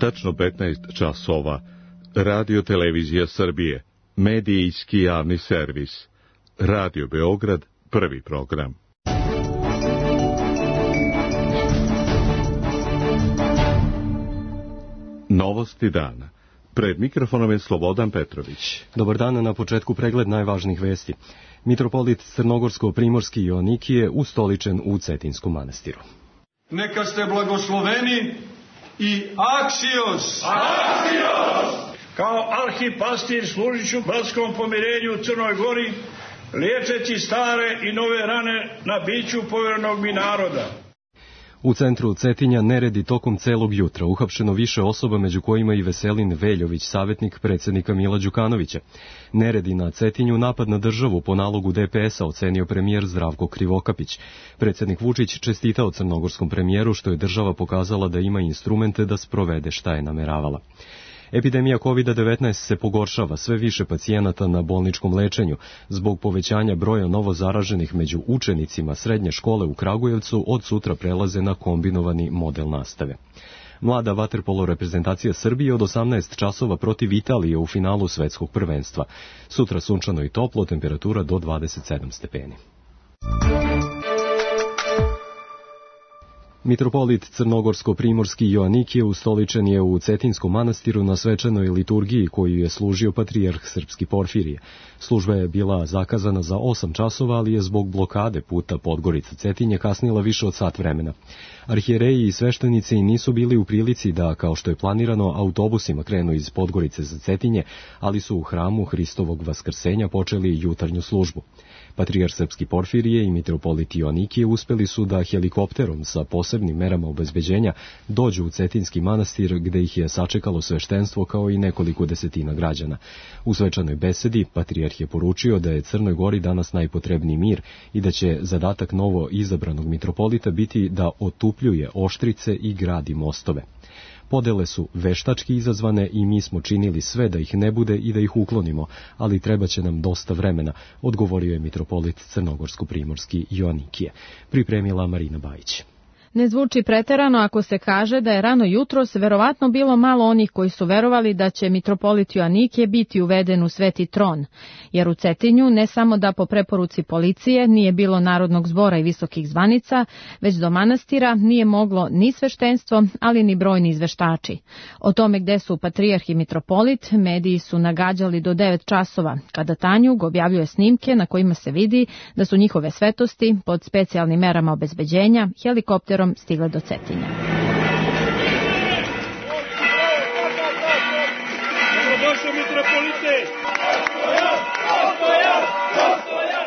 tačno 15 časova, Radio Televizija Srbije, medijski javni servis, Radio Beograd, prvi program. Novosti dana. Pred mikrofonom je Slobodan Petrović. Dobar dan, na početku pregled najvažnijih vesti. Mitropolit Crnogorsko-Primorski Joanikije ustoličen u Cetinskom manastiru. Neka ste blagosloveni i aksios! Aksios! Kao arhipastir služit ću bratskom pomirenju u Crnoj Gori, liječeći stare i nove rane na biću povjerenog mi naroda. U centru Cetinja neredi tokom celog jutra, uhapšeno više osoba, među kojima i Veselin Veljović, savjetnik predsjednika Mila Đukanovića. Neredi na Cetinju napad na državu po nalogu DPS-a, ocenio premijer Zdravko Krivokapić. Predsjednik Vučić čestitao crnogorskom premijeru što je država pokazala da ima instrumente da sprovede šta je nameravala. Epidemija COVID-19 se pogoršava, sve više pacijenata na bolničkom lečenju. Zbog povećanja broja novo zaraženih među učenicima srednje škole u Kragujevcu od sutra prelaze na kombinovani model nastave. Mlada vaterpolo reprezentacija Srbije od 18 časova protiv Italije u finalu svetskog prvenstva. Sutra sunčano i toplo, temperatura do 27 stepeni. Mitropolit Crnogorsko-Primorski Joanikije ustoličen je u Cetinskom manastiru na svečanoj liturgiji koju je služio patrijarh Srpski Porfirije. Služba je bila zakazana za 8 časova, ali je zbog blokade puta Podgorica-Cetinje kasnila više od sat vremena. Arhijereji i sveštenici nisu bili u prilici da, kao što je planirano, autobusima krenu iz Podgorice za Cetinje, ali su u hramu Hristovog Vaskrsenja počeli jutarnju službu. Patrijarh Srpski Porfirije i mitropolit Joanikije uspeli su da helikopterom sa posebnim merama obezbeđenja dođu u Cetinski manastir, gde ih je sačekalo sveštenstvo kao i nekoliko desetina građana. U svečanoj besedi patrijarh je poručio da je Crnoj Gori danas najpotrebniji mir i da će zadatak novo izabranog mitropolita biti da otupljuje oštrice i gradi mostove. Podele su veštački izazvane i mi smo činili sve da ih ne bude i da ih uklonimo, ali treba će nam dosta vremena, odgovorio je mitropolit Crnogorsko-Primorski Joanikije. Pripremila Marina Bajić. Ne zvuči preterano ako se kaže da je rano jutros verovatno bilo malo onih koji su verovali da će mitropolit Joanikije biti uveden u Sveti tron, jer u Cetinju ne samo da po preporuci policije nije bilo narodnog zbora i visokih zvanica, već do manastira nije moglo ni sveštenstvo, ali ni brojni izveštači. O tome gde su patrijarh i mitropolit, mediji su nagađali do 9 časova, kada Tanjug objavljuje snimke na kojima se vidi da su njihove svetosti pod specijalnim merama obezbeđenja helikopterom stigle do Cetinja.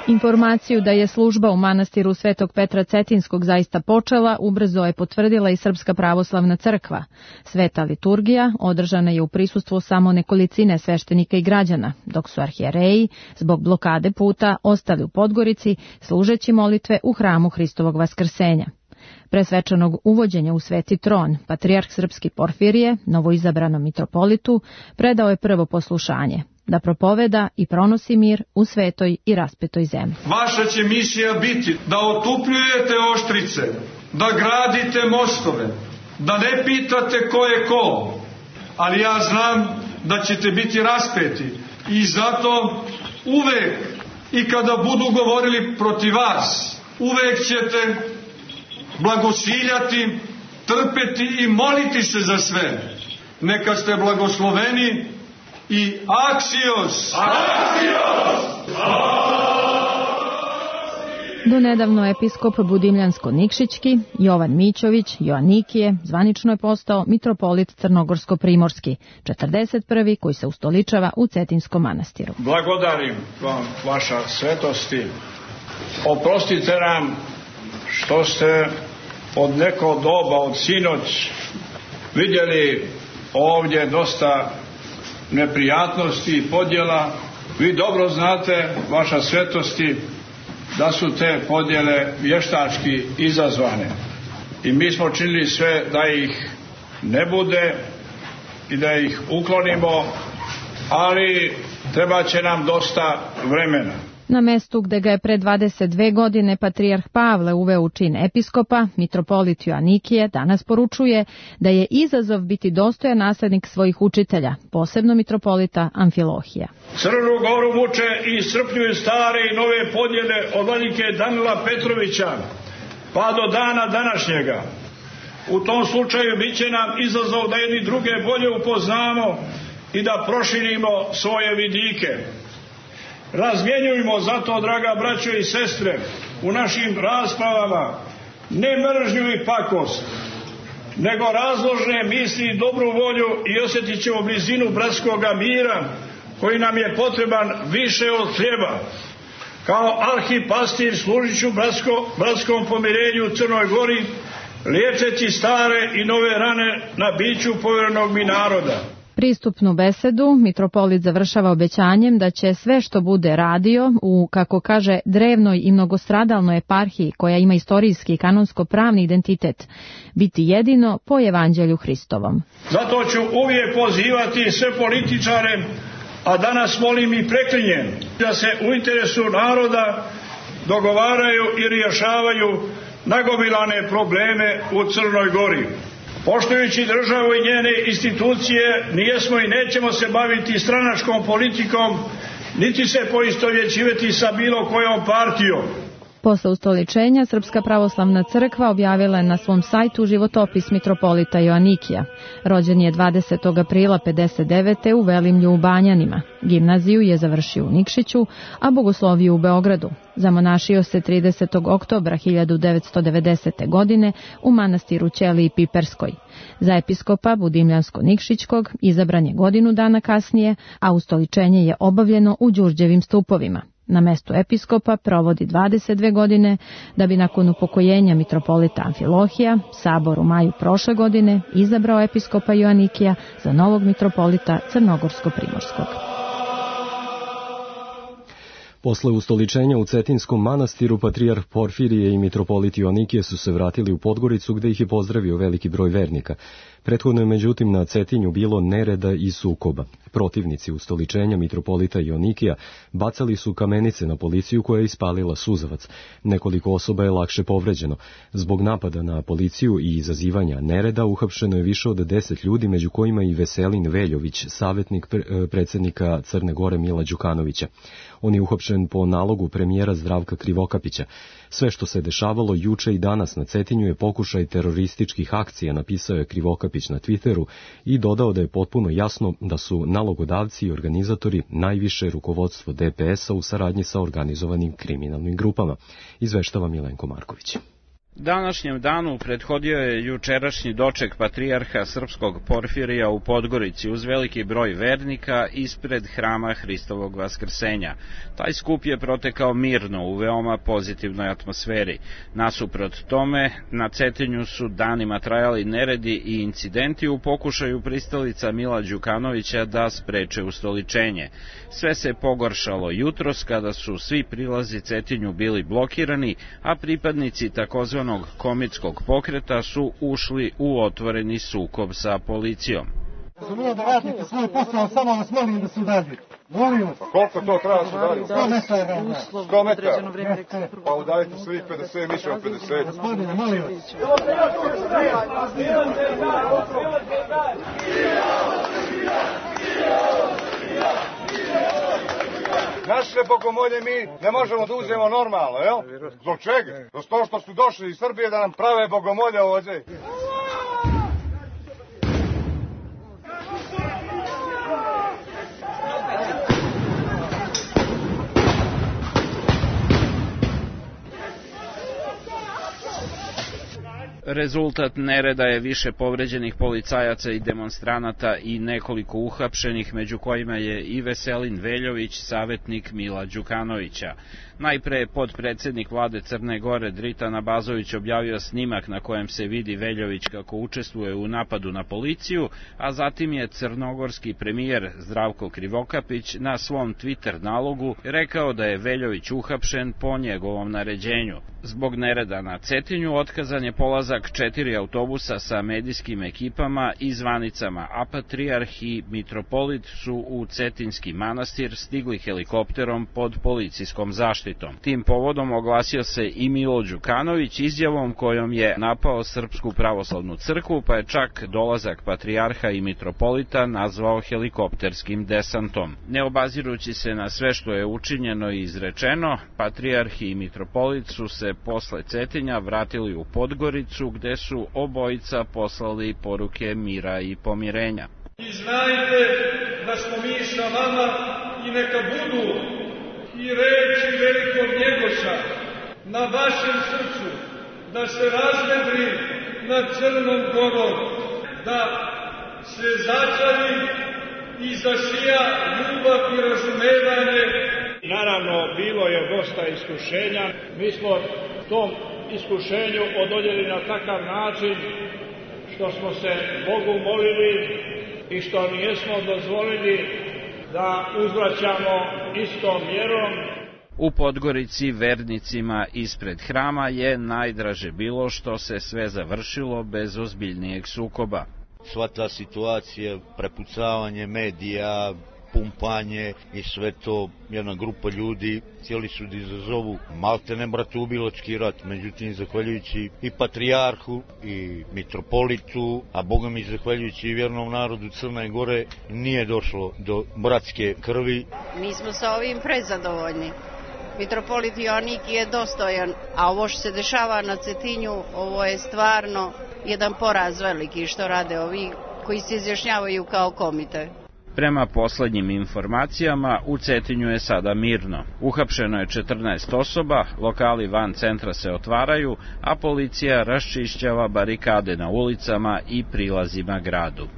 Informaciju da je služba u manastiru Svetog Petra Cetinskog zaista počela, ubrzo je potvrdila i Srpska pravoslavna crkva. Sveta liturgija održana je u prisustvu samo nekolicine sveštenika i građana, dok su arhijereji zbog blokade puta ostali u Podgorici služeći molitve u hramu Hristovog Vaskrsenja. Pre svečanog uvođenja u Sveti tron, patrijarh Srpski Porfirije, novoizabranom mitropolitu, predao je prvo poslušanje, da propoveda i pronosi mir u svetoj i raspetoj zemlji. Vaša će misija biti da otupljujete oštrice, da gradite mostove, da ne pitate ko je ko, ali ja znam da ćete biti raspeti i zato uvek i kada budu govorili protiv vas, uvek ćete blagosiljati, trpeti i moliti se za sve. Neka ste blagosloveni i aksios! Aksios! Do nedavno episkop Budimljansko-Nikšićki, Jovan Mićović, Joanikije, zvanično je postao mitropolit Crnogorsko-Primorski, 41. koji se ustoličava u Cetinskom manastiru. Blagodarim vam, vaša svetosti. Oprostite nam što ste od neko doba, od sinoć, vidjeli ovdje dosta neprijatnosti i podjela. Vi dobro znate, vaša svetosti, da su te podjele vještački izazvane. I mi smo činili sve da ih ne bude i da ih uklonimo, ali treba će nam dosta vremena. Na mestu gde ga je pre 22 godine patrijarh Pavle uveo u čin episkopa, mitropolit Joanikije danas poručuje da je izazov biti dostojan naslednik svojih učitelja, posebno mitropolita Amfilohija. Crnu Goru muče i iscrpljuju stare i nove podjele od vladike Danila Petrovića pa do dana današnjega. U tom slučaju bit će nam izazov da jedni druge bolje upoznamo i da proširimo svoje vidike. Razmjenjujmo zato, draga braćo i sestre, u našim raspravama ne mržnju i pakost, nego razložne misli i dobru volju i osjetit ćemo blizinu bratskoga mira koji nam je potreban više od hljeba. Kao arhipastir služit ću bratskom pomirenju u Crnoj Gori, liječeći stare i nove rane na biću povjerenog mi naroda. Pristupnu besedu mitropolit završava obećanjem da će sve što bude radio u, kako kaže, drevnoj i mnogostradalnoj eparhiji koja ima istorijski i kanonsko-pravni identitet, biti jedino po evanđelju Hristovom. Zato ću uvijek pozivati sve političare, a danas molim i preklinjem, da se u interesu naroda dogovaraju i rješavaju nagomilane probleme u Crnoj Gori. Poštujući državu i njene institucije, nijesmo i nećemo se baviti stranačkom politikom, niti se poistovjećivati sa bilo kojom partijom. Posle ustoličenja Srpska pravoslavna crkva objavila je na svom sajtu životopis mitropolita Joanikija. Rođen je 20. aprila 59. u Velimlju u Banjanima. Gimnaziju je završio u Nikšiću, a bogosloviju u Beogradu. Zamonašio se 30. oktobra 1990. godine u manastiru Ćeliji Piperskoj. Za episkopa Budimljansko-Nikšićkog izabran je godinu dana kasnije, a ustoličenje je obavljeno u Đurđevim stupovima. Na mestu episkopa provodi 22 godine, da bi nakon upokojenja mitropolita Amfilohija sabor u maju prošle godine izabrao episkopa Joanikija za novog mitropolita Crnogorsko-Primorskog. Posle ustoličenja u Cetinskom manastiru, patrijarh Porfirije i mitropolit Joanikije su se vratili u Podgoricu, gde ih je pozdravio veliki broj vernika. Prethodno je međutim na Cetinju bilo nereda i sukoba. Protivnici ustoličenja mitropolita Joanikija bacali su kamenice na policiju koja je ispalila suzavac. Nekoliko osoba je lakše povređeno. Zbog napada na policiju i izazivanja nereda uhapšeno je više od 10 ljudi, među kojima i Veselin Veljović, savjetnik predsjednika Crne Gore Mila Đukanovića. On je uhapšen po nalogu premijera Zdravka Krivokapića. Sve što se dešavalo juče i danas na Cetinju je pokušaj terorističkih akcija, napisao je Krivokapić na Twitteru i dodao da je potpuno jasno da su nalogodavci i organizatori najviše rukovodstvo DPS-a u saradnji sa organizovanim kriminalnim grupama, izveštava Milenko Marković. Današnjem danu prethodio je jučerašnji doček patrijarha srpskog Porfirija u Podgorici uz veliki broj vernika ispred hrama Hristovog vaskrsenja. Taj skup je protekao mirno u veoma pozitivnoj atmosferi. Nasuprot tome, na Cetinju su danima trajali neredi i incidenti u pokušaju pristalica Mila Đukanovića da spreče ustoličenje. Sve se pogoršalo jutros kada su svi prilazi Cetinju bili blokirani, a pripadnici takozvanog komitskog pokreta su ušli u otvoreni sukob sa policijom. Razumije da radite svoj posao, samo vas molim da se udaljite. Molim vas. Koliko to treba da se udaljite? 100 metara. 100 metara? Pa udaljite svih 50, više od 50. Gospodine, molim vas. Naše bogomolje mi ne možemo da uzmemo normalno, jel? Zbog čega? Zbog toho što su došli iz Srbije da nam prave bogomolje ovdje. Rezultat nereda je više povređenih policajaca i demonstranata i nekoliko uhapšenih, među kojima je i Veselin Veljović, savjetnik Mila Đukanovića. Najpre je podpredsednik vlade Crne Gore Dritan Abazović objavio snimak na kojem se vidi Veljović kako učestvuje u napadu na policiju, a zatim je crnogorski premijer Zdravko Krivokapić na svom Twitter nalogu rekao da je Veljović uhapšen po njegovom naređenju. Zbog nereda na Cetinju otkazan je polazak 4 autobusa sa medijskim ekipama i zvanicama, a patrijarh i mitropolit su u Cetinski manastir stigli helikopterom pod policijskom zaštitom. Tim povodom oglasio se i Milo Đukanović izjavom kojom je napao Srpsku pravoslavnu crkvu, pa je čak dolazak patrijarha i mitropolita nazvao helikopterskim desantom. Ne obazirući se na sve što je učinjeno i izrečeno, patrijarh i mitropolit su se posle Cetinja vratili u Podgoricu, gde su obojica poslali poruke mira i pomirenja. I znajte da smo mi sa vama i neka budu i reči velikog Njegoša na vašem srcu, da se razvedri nad Crnom Gorom, da se začari i zasija ljubav i razumevanje. Naravno, bilo je dosta iskušenja. Mi smo tom iskušenju odoljeli na takav način što smo se Bogu molili i što nijesmo dozvolili da uzvraćamo istom mjerom. U Podgorici vernicima ispred hrama je najdraže bilo što se sve završilo bez ozbiljnijeg sukoba. Sva ta situacija, prepucavanje medija, pumpanje i sve to, jedna grupa ljudi htjeli su da izazovu maltene bratoubilački rat, međutim zahvaljujući i patrijarhu i mitropolitu, a Boga mi zahvaljujući i vjernom narodu Crne Gore nije došlo do bratske krvi. Mi smo sa ovim prezadovoljni. Mitropolit Joannikije je dostojan, a ovo što se dešava na Cetinju, ovo je stvarno jedan poraz veliki što rade ovi koji se izjašnjavaju kao komite. Prema poslednjim informacijama, u Cetinju je sada mirno. Uhapšeno je 14 osoba, lokali van centra se otvaraju, a policija raščišćava barikade na ulicama i prilazima gradu.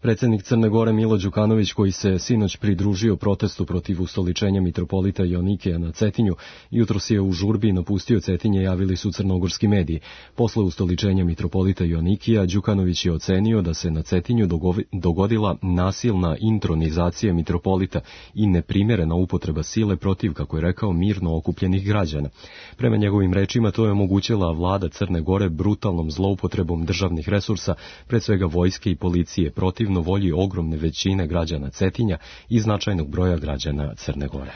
Predsednik Crne Gore Milo Đukanović, koji se sinoć pridružio protestu protiv ustoličenja mitropolita Joannikija na Cetinju, jutros je u žurbi napustio Cetinje, javili su crnogorski mediji. Posle ustoličenja mitropolita Joannikija, Đukanović je ocenio da se na Cetinju dogodila nasilna intronizacija mitropolita i neprimerena upotreba sile protiv, kako je rekao, mirno okupljenih građana. Prema njegovim rečima, to je omogućila vlada Crne Gore brutalnom zloupotrebom državnih resursa, pred svega vojske i policije, protiv volji ogromne većine građana Cetinja i značajnog broja građana Crne Gore.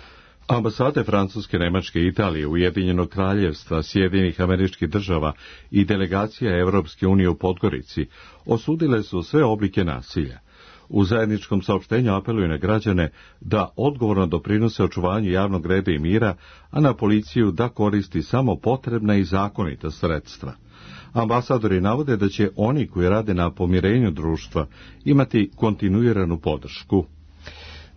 Ambasade Francuske, Nemačke, Italije, Ujedinjenog kraljevstva, Sjedinjenih Američkih Država i delegacija Evropske unije u Podgorici osudile su sve oblike nasilja. U zajedničkom saopštenju apeluju na građane da odgovorno doprinose očuvanju javnog reda i mira, a na policiju da koristi samo potrebna i zakonita sredstva. Ambasadori navode da će oni koji rade na pomirenju društva imati kontinuiranu podršku.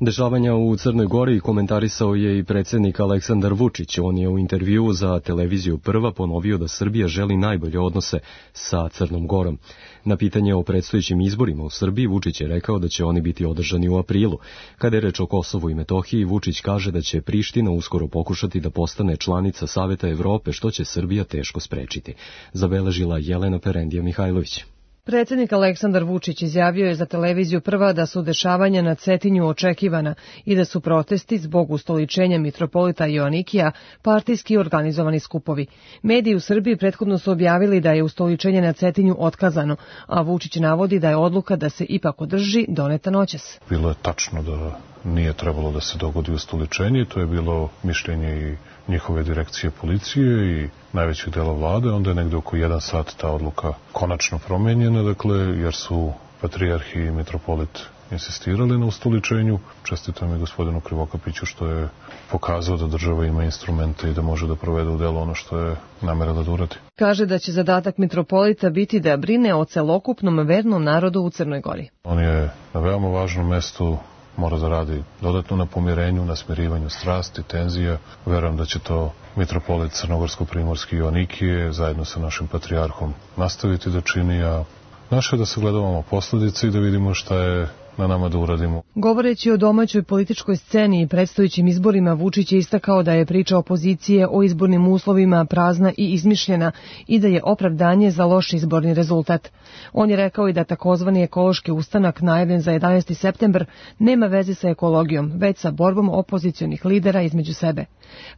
Dešavanja u Crnoj Gori komentarisao je i predsjednik Aleksandar Vučić. On je u intervjuu za televiziju Prva ponovio da Srbija želi najbolje odnose sa Crnom Gorom. Na pitanje o predstojećim izborima u Srbiji, Vučić je rekao da će oni biti održani u aprilu. Kada je reč o Kosovu i Metohiji, Vučić kaže da će Priština uskoro pokušati da postane članica Saveta Evrope, što će Srbija teško sprečiti. Zabeležila Jelena Perendija Mihajlović. Predsjednik Aleksandar Vučić izjavio je za televiziju Prva da su dešavanja na Cetinju očekivana i da su protesti zbog ustoličenja mitropolita Joannikija partijski organizovani skupovi. Mediji u Srbiji prethodno su objavili da je ustoličenje na Cetinju otkazano, a Vučić navodi da je odluka da se ipak održi doneta noćas. Bilo je tačno da nije trebalo da se dogodi ustoličenje, to je bilo mišljenje i njihove direkcije policije i najvećeg dela vlade, onda je negde oko 1 sat ta odluka konačno promenjena, dakle, jer su patrijarh i mitropolit insistirali na ustoličenju. Čestitam i gospodinu Krivokapiću što je pokazao da država ima instrumente i da može da provede u delo ono što je namerila da uradi. Kaže da će zadatak mitropolita biti da brine o celokupnom vernom narodu u Crnoj Gori. On je na veoma važnom mestu, mora da radi dodatno na pomirenju, na smirivanju strasti, tenzija. Verujem da će to mitropolit Crnogorsko-Primorski Joannikije zajedno sa našim patrijarhom nastaviti da čini, a naše je da sagledavamo posledice i da vidimo šta je na nama da uradimo. Govoreći o domaćoj političkoj sceni i predstojećim izborima, Vučić je istakao da je priča opozicije o izbornim uslovima prazna i izmišljena i da je opravdanje za loš izborni rezultat. On je rekao i da takozvani ekološki ustanak najavljen za 11. septembar nema veze sa ekologijom, već sa borbom opozicionih lidera između sebe.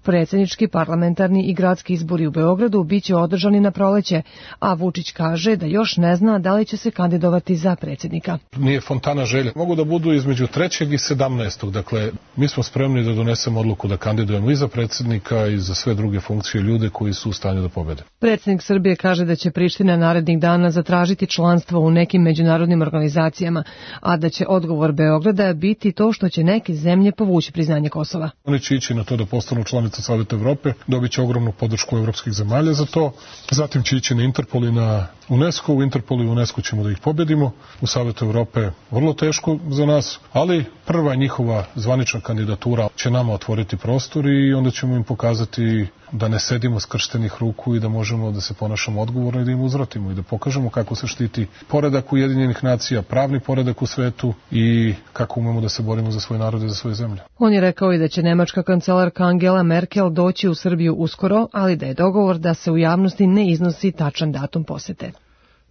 Predsjednički, parlamentarni i gradski izbori u Beogradu biće održani na proleće, a Vučić kaže da još ne zna da li će se kandidovati za predsjednika. Nije fontana želja. Mogu da budu između 3. i 17. Dakle, mi smo spremni da donesemo odluku da kandidujemo i za predsjednika i za sve druge funkcije ljude koji su u stanju da pobede. Predsjednik Srbije kaže da će Priština narednih dana zatražiti članstvo u nekim međunarodnim organizacijama, a da će odgovor Beograda biti to što će neke zemlje povući priznanje Kosova. Oni će ići na to da postanu članice Saveta Evrope, dobit će ogromnu podršku evropskih zemalja za to. Zatim će ići na Interpol i na UNESCO. U Interpolu i UNESCO ćemo da ih pobedimo. U Savetu Evrope vrlo teško za nas, ali prva njihova zvanična kandidatura će nama otvoriti prostor i onda ćemo im pokazati da ne sedimo skrštenih ruku i da možemo da se ponašamo odgovorno i da im uzvratimo i da pokažemo kako se štiti poredak Ujedinjenih nacija, pravni poredak u svetu i kako umemo da se borimo za svoj narod i za svoje zemlje. On je rekao i da će nemačka kancelarka Angela Merkel doći u Srbiju uskoro, ali da je dogovor da se u javnosti ne iznosi tačan datum posete.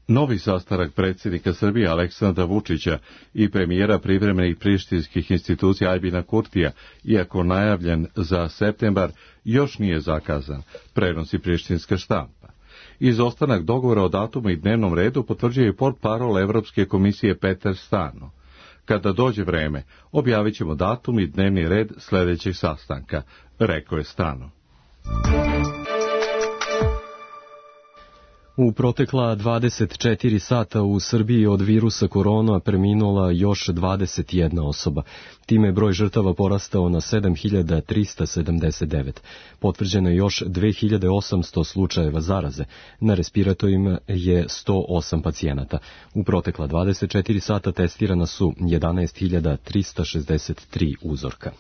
Novi sastanak predsjednika Srbije Aleksandra Vučića i premijera privremenih prištinskih institucija Aljbina Kurtija, iako najavljen za septembar, još nije zakazan, prenosi prištinska štampa. Izostanak dogovora o datumu i dnevnom redu potvrđuje i portparol Evropske komisije Peter Stano. Kada dođe vreme, objavit ćemo datum i dnevni red sljedećeg sastanka, rekao je Stano. U protekla 24 sata u Srbiji od virusa korona preminula još 21 osoba. Time je broj žrtava porastao na 7379. Potvrđeno je još 2800 slučajeva zaraze. Na respiratorima je 108 pacijenata. U protekla 24 sata testirana su 11.363 uzorka.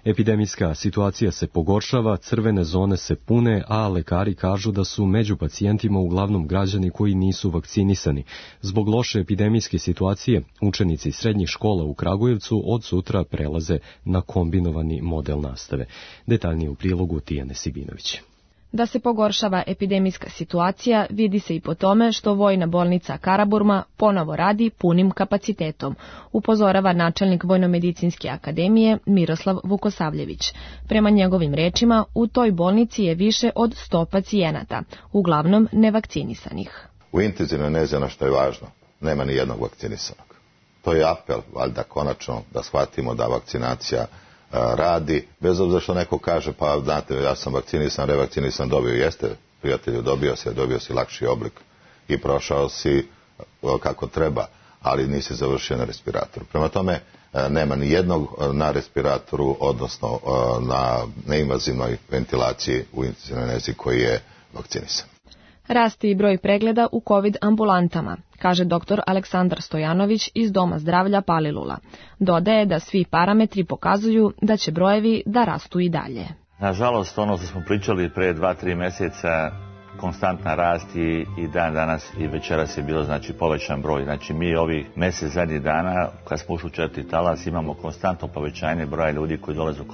Epidemijska situacija se pogoršava, crvene zone se pune, a lekari kažu da su među pacijentima uglavnom građani koji nisu vakcinisani. Zbog loše epidemijske situacije, učenici srednjih škola u Kragujevcu od sutra prelaze na kombinovani model nastave. Detaljnije u prilogu Tijane Sibinović. Da se pogoršava epidemijska situacija vidi se i po tome što Vojna bolnica Karaburma ponovo radi punim kapacitetom, upozorava načelnik Vojnomedicinske akademije Miroslav Vukosavljević. Prema njegovim rečima, u toj bolnici je više od 100 pacijenata, uglavnom nevakcinisanih. U intenzivnoj nezi ono što je važno, nema ni jednog vakcinisanog. To je apel, valjda konačno, da shvatimo da vakcinacija radi, bez obzira što neko kaže, pa znate, ja sam vakcinisan, revakcinisan, dobio, jeste, prijatelju, dobio si lakši oblik i prošao si kako treba, ali nisi završio na respiratoru. Prema tome, nema ni jednog na respiratoru, odnosno na neinvazivnoj ventilaciji u intenzivnoj nezi koji je vakcinisan. Rasti i broj pregleda u COVID ambulantama, kaže dr. Aleksandar Stojanović iz Doma zdravlja Palilula. Dodaje da svi parametri pokazuju da će brojevi da rastu i dalje. Nažalost, ono što smo pričali pre 2-3 mjeseca, konstantna rast i dan danas i večeras je bilo povećan broj. Znači mi ovih mjesec zadnjih dana, kad smo ušli u 4. talas, imamo konstantno povećanje broja ljudi koji dolaze u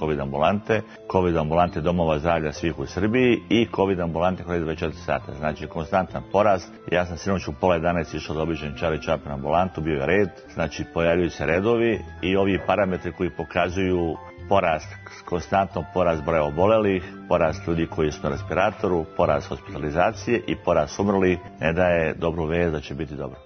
COVID ambulante domova zdravlja svih u Srbiji i COVID ambulante koje 24 sata. Znači konstantan porast. Ja sam sinoć u 10:30 išao da obiđem Čari Čapin ambulantu, bio je red, znači pojavljuju se redovi i ovi parametri koji pokazuju konstantno porast broja obolelih, porast ljudi koji su na respiratoru, porast hospitalizacije i porast umrlih ne daje dobru vest da će biti dobro.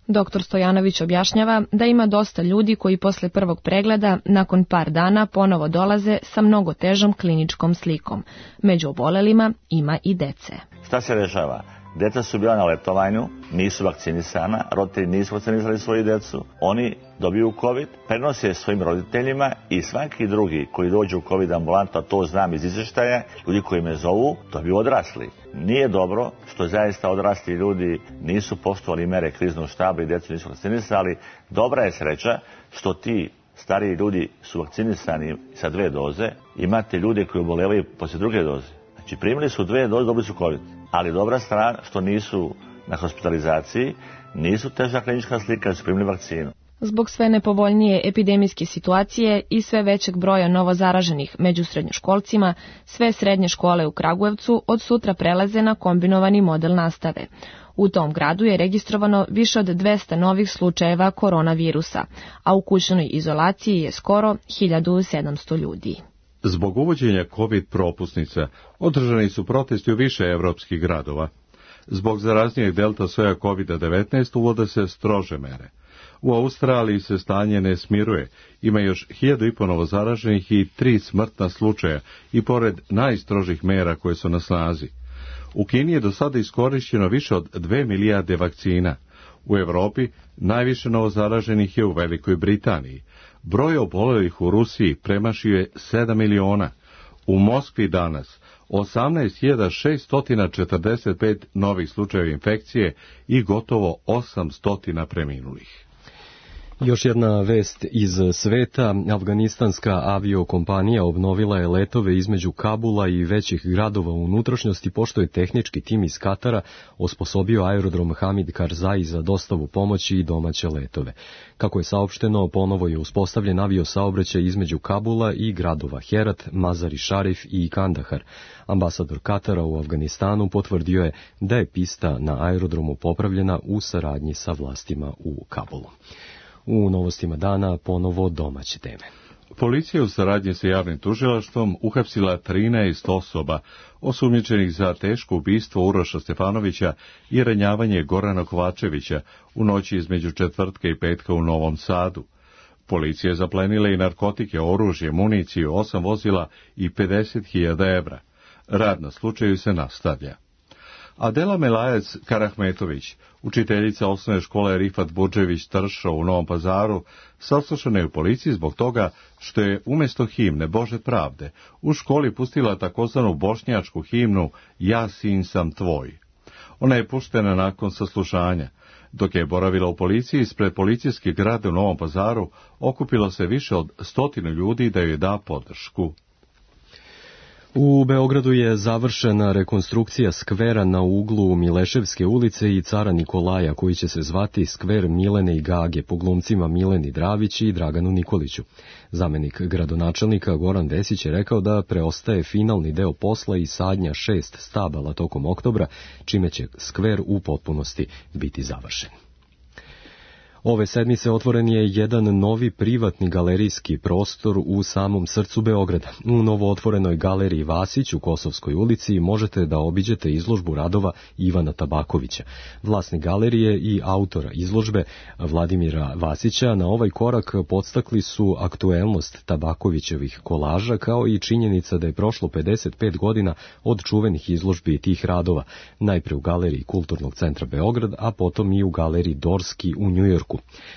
Dr. Stojanović objašnjava da ima dosta ljudi koji posle prvog pregleda nakon par dana ponovo dolaze sa mnogo težom kliničkom slikom. Među obolelima ima i dece. Šta se dešava? Deca su bila na letovanju, nisu vakcinisana, roditelji nisu vakcinisali svoju decu, oni dobiju COVID, prenose svojim roditeljima i svaki drugi koji dođe u COVID ambulantu, a to znam iz izvještaja, ljudi koji me zovu, dobiju odrasli. Nije dobro što zaista odrasli ljudi nisu poštovali mere kriznog štaba i decu nisu vakcinisali. Dobra je sreća što ti stariji ljudi su vakcinisani sa 2 doze, imate ljude koji obolevaju poslije 2. doze. Znači primili su 2 doze, dobili su COVID. Ali dobra strana što nisu na hospitalizaciji, nisu teža klinička slika, su primili vakcinu. Zbog sve nepovoljnije epidemijske situacije i sve većeg broja novozaraženih među srednjoškolcima, sve srednje škole u Kragujevcu od sutra prelaze na kombinovani model nastave. U tom gradu je registrovano više od 200 novih slučajeva koronavirusa, a u kućnoj izolaciji je skoro 1700 ljudi. Zbog uvođenja COVID propusnica održani su protesti u više evropskih gradova. Zbog zaraznijeg delta soja COVID-19 uvode se strože mere. U Australiji se stanje ne smiruje, ima još 1500 novozaraženih i 3 smrtna slučaja i pored najstrožih mera koje su na snazi. U Kini je do sada iskorišćeno više od 2 milijarde vakcina. U Europi najviše novozaraženih je u Velikoj Britaniji. Broj obolelih u Rusiji premašio je 7 miliona. U Moskvi danas 18.645 novih slučajeva infekcije i gotovo 800 preminulih. Još jedna vest iz sveta. Afganistanska aviokompanija obnovila je letove između Kabula i većih gradova u unutrašnjosti, pošto je tehnički tim iz Katara osposobio aerodrom Hamid Karzai za dostavu pomoći i domaće letove. Kako je saopšteno, ponovo je uspostavljen aviosaobraćaj između Kabula i gradova Herat, Mazar-i Šarif i Kandahar. Ambasador Katara u Afganistanu potvrdio je da je pista na aerodromu popravljena u saradnji sa vlastima u Kabulu. U novostima dana ponovo domaće teme. Policija u saradnji sa javnim tužilaštvom uhapsila 13 osoba osumnjičenih za teško ubistvo Uroša Stefanovića i ranjavanje Gorana Kovačevića u noći između četvrtka i petka u Novom Sadu. Policija je zaplenila i narkotike, oružje, municiju, 8 vozila i 50.000 evra. Rad na slučaju se nastavlja. Adela Melajac Karahmetović, učiteljica osnovne škole Rifat Budžević Tršo u Novom Pazaru, saslušana je u policiji zbog toga što je umjesto himne Bože pravde u školi pustila takozvanu bošnjačku himnu Ja sin sam tvoj. Ona je puštena nakon saslušanja. Dok je boravila u policiji, ispred policijske grade u Novom Pazaru okupilo se više od 100 ljudi da joj da podršku. U Beogradu je završena rekonstrukcija skvera na uglu Mileševske ulice i Cara Nikolaja, koji će se zvati skver Milene i Gage po glumcima Mileni Dravić i Draganu Nikoliću. Zamenik gradonačelnika Goran Vesić je rekao da preostaje finalni deo posla i sadnja 6 stabala tokom oktobra, čime će skver u potpunosti biti završen. Ove sedmice otvoren je jedan novi privatni galerijski prostor u samom srcu Beograda. U novo otvorenoj galeriji Vasić u Kosovskoj ulici možete da obiđete izložbu radova Ivana Tabakovića. Vlasnik galerije i autora izložbe Vladimira Vasića na ovaj korak podstakli su aktuelnost Tabakovićevih kolaža, kao i činjenica da je prošlo 55 godina od čuvenih izložbi tih radova, najpre u galeriji Kulturnog centra Beograd, a potom i u galeriji Dorski u Njujorku.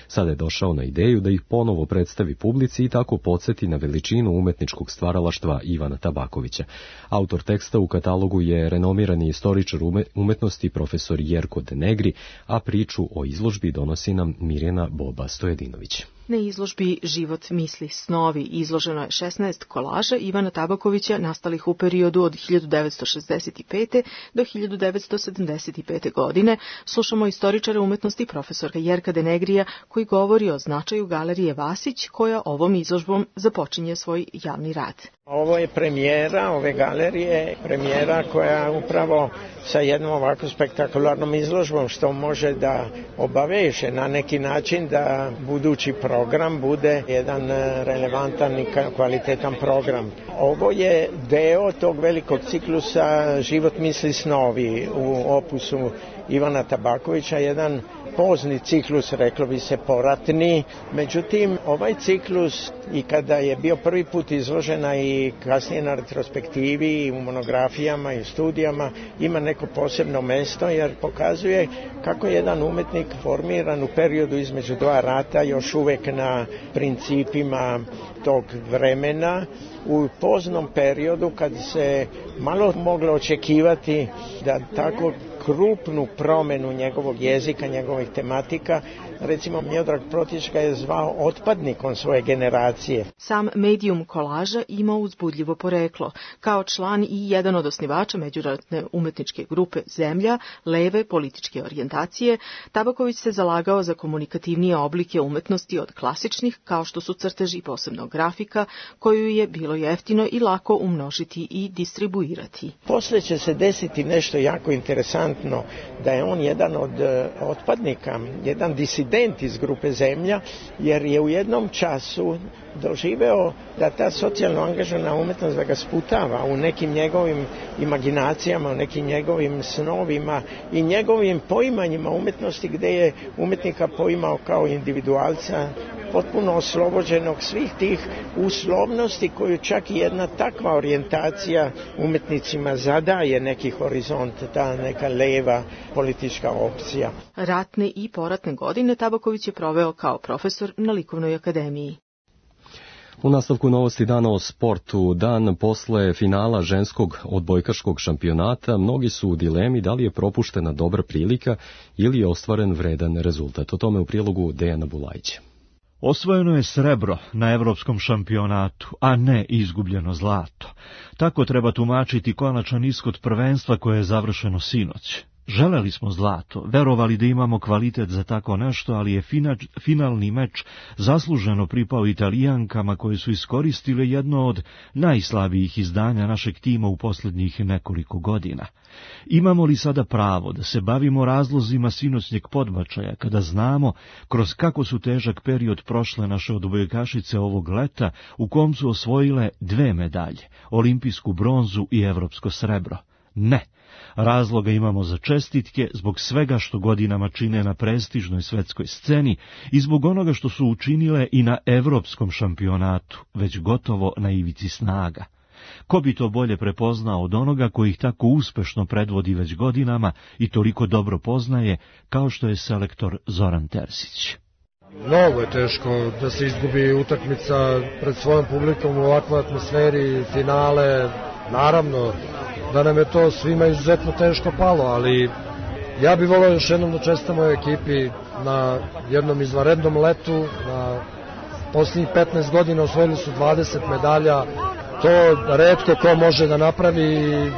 Sada je došao na ideju da ih ponovo predstavi publici i tako podsjeti na veličinu umetničkog stvaralaštva Ivana Tabakovića. Autor teksta u katalogu je renomirani istoričar umetnosti profesor Jerko Denegri, a priču o izložbi donosi nam Mirjana Boba Stojedinović. Na izložbi Život, misli, snovi izloženo je 16 kolaža Ivana Tabakovića nastalih u periodu od 1965. do 1975. godine. Slušamo istoričara umetnosti profesorka Jerka Denegrija koji govori o značaju galerije Vasić koja ovom izložbom započinje svoj javni rad. Ovo je premijera ove galerije, premijera koja upravo sa jednom ovako spektakularnom izložbom što može da obaveže na neki način da budući program bude jedan relevantan i kvalitetan program. Ovo je deo tog velikog ciklusa Život, misli, snovi u opusu Ivana Tabakovića, jedan pozni ciklus, reklo bi se poratni. Međutim, ovaj ciklus i kada je bio prvi put izložena i kasnije na retrospektivi i u monografijama i studijama ima neko posebno mesto jer pokazuje kako je jedan umetnik formiran u periodu između dva rata još uvek na principima tog vremena u poznom periodu kad se malo moglo očekivati da tako krupnu promenu njegovog jezika, njegovih tematika. Recimo, Miodrag Protić ga je zvao otpadnikom svoje generacije. Sam medijum kolaža ima uzbudljivo poreklo. Kao član i jedan od osnivača međunarodne umetničke grupe Zemlja, leve političke orijentacije, Tabaković se zalagao za komunikativnije oblike umetnosti od klasičnih, kao što su crteži, posebno grafika, koju je bilo jeftino i lako umnožiti i distribuirati. Posle će se desiti nešto jako interesantno, da je on jedan od otpadnika, jedan disident iz grupe Zemlja, jer je u jednom času doživeo da ta socijalno angažovana umetnost da ga sputava u nekim njegovim imaginacijama, u nekim njegovim snovima i njegovim poimanjima umetnosti, gde je umetnika poimao kao individualca, potpuno oslobođenog svih tih uslovnosti koju čak i jedna takva orijentacija umetnicima zadaje neki horizont, ta neka leva politička opcija. Ratne i poratne godine Tabaković je proveo kao profesor na Likovnoj akademiji. U nastavku novosti dana o sportu, dan posle finala ženskog odbojkaškog šampionata, mnogi su u dilemi da li je propuštena dobra prilika ili je ostvaren vredan rezultat. O tome u prilogu Dejana Bulajića. Osvojeno je srebro na evropskom šampionatu, a ne izgubljeno zlato. Tako treba tumačiti konačan ishod prvenstva koje je završeno sinoć. Želeli smo zlato, verovali da imamo kvalitet za tako nešto, ali je finalni meč zasluženo pripao Italijankama koje su iskoristile jedno od najslabijih izdanja našeg tima u posljednjih nekoliko godina. Imamo li sada pravo da se bavimo razlozima sinoćnjeg podbačaja, kada znamo kroz kako su težak period prošle naše odbojkašice ovog leta, u kom su osvojile 2 medalje, olimpijsku bronzu i evropsko srebro? Ne. Razloga imamo za čestitke zbog svega što godinama čine na prestižnoj svetskoj sceni i zbog onoga što su učinile i na evropskom šampionatu, već gotovo na ivici snaga. Ko bi to bolje prepoznao od onoga koji ih tako uspešno predvodi već godinama i toliko dobro poznaje, kao što je selektor Zoran Terzić. Mnogo je teško da se izgubi utakmica pred svojom publikom u ovakvoj atmosferi, finale, naravno da nam je to svima izuzetno teško palo, ali ja bih volio još jednom da čestitam ovoj ekipi na jednom izvanrednom letu, na posljednjih 15 godina osvojili su 20 medalja, to retko ko može da napravi i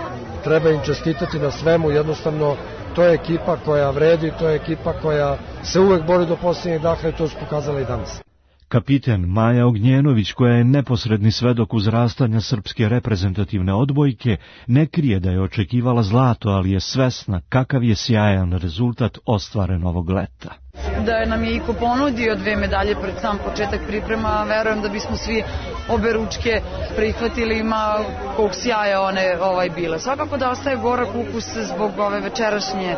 treba im čestitati na svemu, jednostavno to je ekipa koja vredi, to je ekipa koja se uvek bori do posljednjeg daha i to su pokazali i danas. Kapiten Maja Ognjenović, koja je neposredni svedok uzrastanja srpske reprezentativne odbojke, ne krije da je očekivala zlato, ali je svesna kakav je sjajan rezultat ostvaren ovog leta. Da nam je Iko ponudio 2 medalje pred sam početak priprema, verujem da bismo svi obe ručke prihvatili, ima kog sjaja one bile. Svakako da ostaje gorak ukus zbog ove večerašnje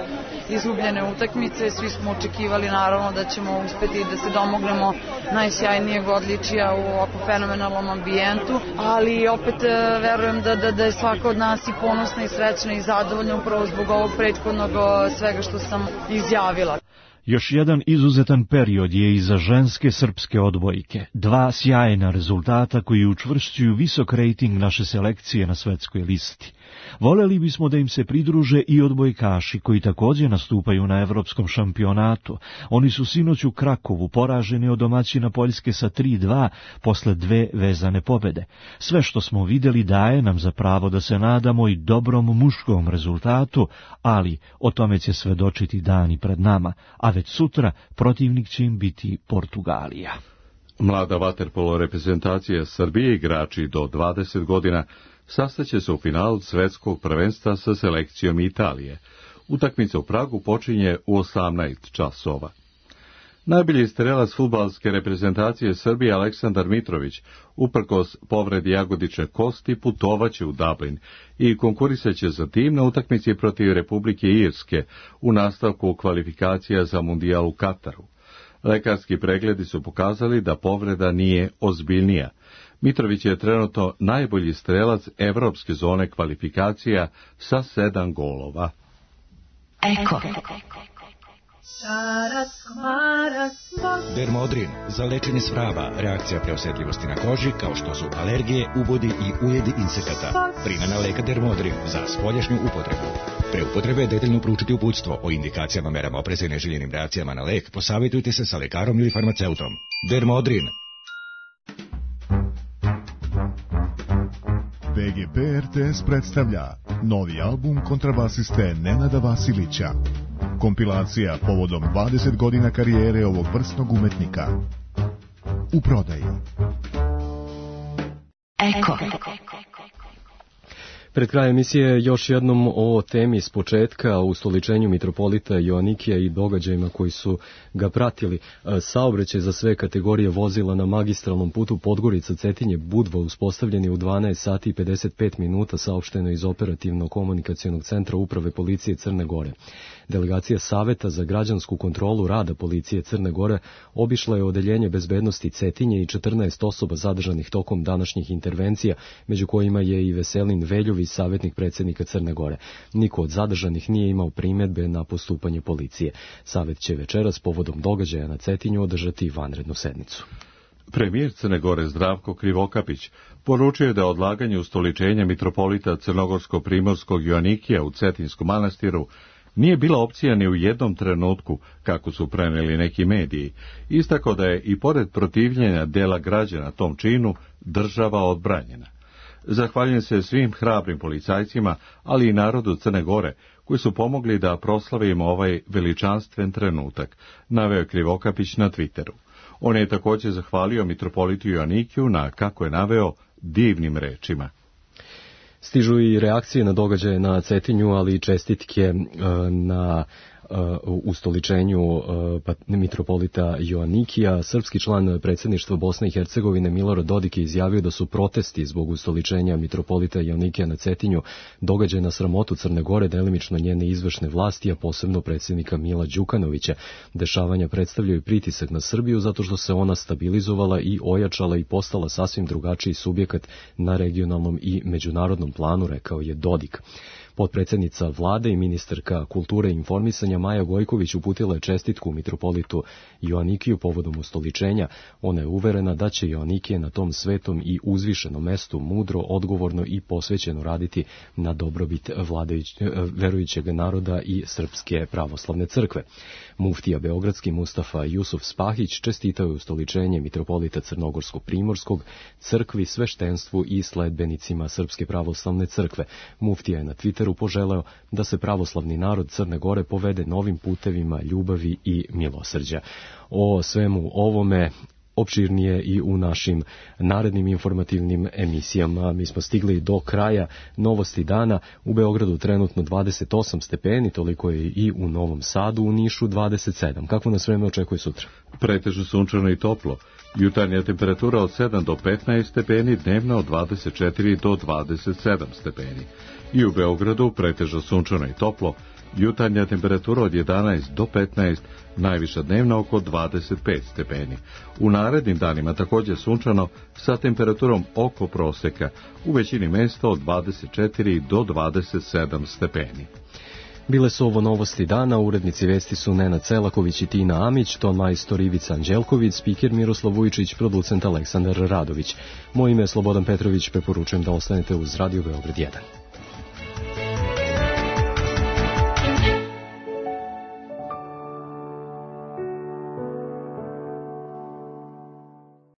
izgubljene utakmice. Svi smo očekivali naravno da ćemo uspeti da se domognemo najsjajnijeg odličija u ovako fenomenalnom ambijentu, ali opet verujem da je svaka od nas i ponosna i srećna i zadovoljna upravo zbog ovog prethodnog svega što sam izjavila. Još jedan izuzetan period je i za ženske srpske odbojke. 2 sjajna rezultata koji učvršćuju visok rejting naše selekcije na svetskoj listi. Voleli bismo da im se pridruže i odbojkaši koji također nastupaju na evropskom šampionatu. Oni su sinoć u Krakovu poraženi od domaćina Poljske sa 3-2 posle 2 vezane pobede. Sve što smo vidjeli daje nam za pravo da se nadamo i dobrom muškom rezultatu, ali o tome će svedočiti dani pred nama, a već sutra protivnik će im biti Portugalija. Mlada vaterpolo reprezentacija Srbije, igrači do 20 godina, sastaće se u finalu svetskog prvenstva sa selekcijom Italije. Utakmica u Pragu počinje u 18 časova. Najbolji strelac fudbalske reprezentacije Srbije Aleksandar Mitrović, uprkos povredi jagodične kosti, putovaće u Dublin i konkurisaće za tim na utakmici protiv Republike Irske u nastavku kvalifikacija za mundijal u Kataru. Lekarski pregledi su pokazali da povreda nije ozbiljnija. Mitrović je trenutno najbolji strelac evropske zone kvalifikacija sa 7 golova. Eko. Dermodrin za lečenje svraba, reakcija preosetljivosti na koži kao što su alergije, ubodi i ujedi insekata. Primjena leka Dermodrin za spoljašnju upotrebu. Pre upotrebe detaljno proučiti uputstvo o indikacijama, merama opreza i neželjenim reakcijama na lek. Posavjetujte se sa lekarom ili farmaceutom. Dermodrin. BGP RTS predstavlja novi album kontrabasiste Nenada Vasilića. Kompilacija povodom 20 godina karijere ovog vrsnog umetnika. U prodaji. Eko. Pred krajem emisije još jednom o temi s početka, o ustoličenju mitropolita Joanikija i događajima koji su ga pratili. Saobraćaj za sve kategorije vozila na magistralnom putu Podgorica-Cetinje-Budva uspostavljen je u 12 sati i 55 minuta, saopšteno iz operativno-komunikacionog centra Uprave policije Crne Gore. Delegacija Saveta za građansku kontrolu rada policije Crne Gore obišla je odeljenje bezbednosti Cetinje i 14 osoba zadržanih tokom današnjih intervencija, među kojima je i Veselin Veljović, savjetnik predsjednika Crne Gore. Niko od zadržanih nije imao primjedbe na postupanje policije. Savet će večeras povodom događaja na Cetinju održati vanrednu sednicu. Premijer Crne Gore Zdravko Krivokapić poručio je da odlaganje ustoličenja mitropolita Crnogorsko-Primorskog Joanikija u Cetinskom manastiru nije bila opcija ni u jednom trenutku, kako su preneli neki mediji. Istakao da je i pored protivljenja dela građana tom činu, država odbranjena. Zahvaljujem se svim hrabrim policajcima, ali i narodu Crne Gore, koji su pomogli da proslavimo ovaj veličanstven trenutak, naveo Krivokapić na Twitteru. On je također zahvalio mitropolitu Joanikiju na, kako je naveo, divnim rečima. Stižu i reakcije na događaje na Cetinju, ali i čestitke na ustoličenju mitropolita Joanikija. Srpski član predsjedništva Bosne i Hercegovine Milorad Dodik je izjavio da su protesti zbog ustoličenja mitropolita Joanikija na Cetinju događaj na sramotu Crne Gore, delimično njene izvršne vlasti, a posebno predsjednika Mila Đukanovića. Dešavanja predstavljaju pritisak na Srbiju zato što se ona stabilizovala i ojačala i postala sasvim drugačiji subjekat na regionalnom i međunarodnom planu, rekao je Dodik. Potpredsjednica vlade i ministarka kulture i informisanja Maja Gojković uputila je čestitku mitropolitu Joanikiju povodom ustoličenja. Ona je uverena da će Joanikije na tom svetom i uzvišenom mestu mudro, odgovorno i posvećeno raditi na dobrobit verujućeg naroda i Srpske pravoslavne crkve. Muftija beogradski Mustafa Jusuf Spahić čestitao je ustoličenje mitropolita Crnogorsko-Primorskog, crkvi, sveštenstvu i sledbenicima Srpske pravoslavne crkve. Muftija je na Twitteru poželeo da se pravoslavni narod Crne Gore povede novim putevima ljubavi i milosrđa. O svemu ovome opširnije i u našim narednim informativnim emisijama. Mi smo stigli do kraja novosti dana. U Beogradu trenutno 28 stepeni, toliko je i u Novom Sadu, u Nišu 27. Kako nas vreme očekuje sutra? Pretežno sunčano i toplo. Jutarnja temperatura od 7 do 15 stepeni, dnevna od 24 do 27 stepeni. I u Beogradu pretežno sunčano i toplo, jutarnja temperatura od 11 do 15, najviša dnevna oko 25 stepeni. U narednim danima također sunčano sa temperaturom oko proseka, u većini mjesta od 24 do 27 stepeni. Bile su ovo novosti dana, urednici vesti su Nenad Celaković i Tina Amić, ton majstor Ivica Anđelković, spiker Miroslav Vujičić, producent Aleksandar Radović. Moje ime je Slobodan Petrović, preporučujem da ostanete uz Radio Beograd 1.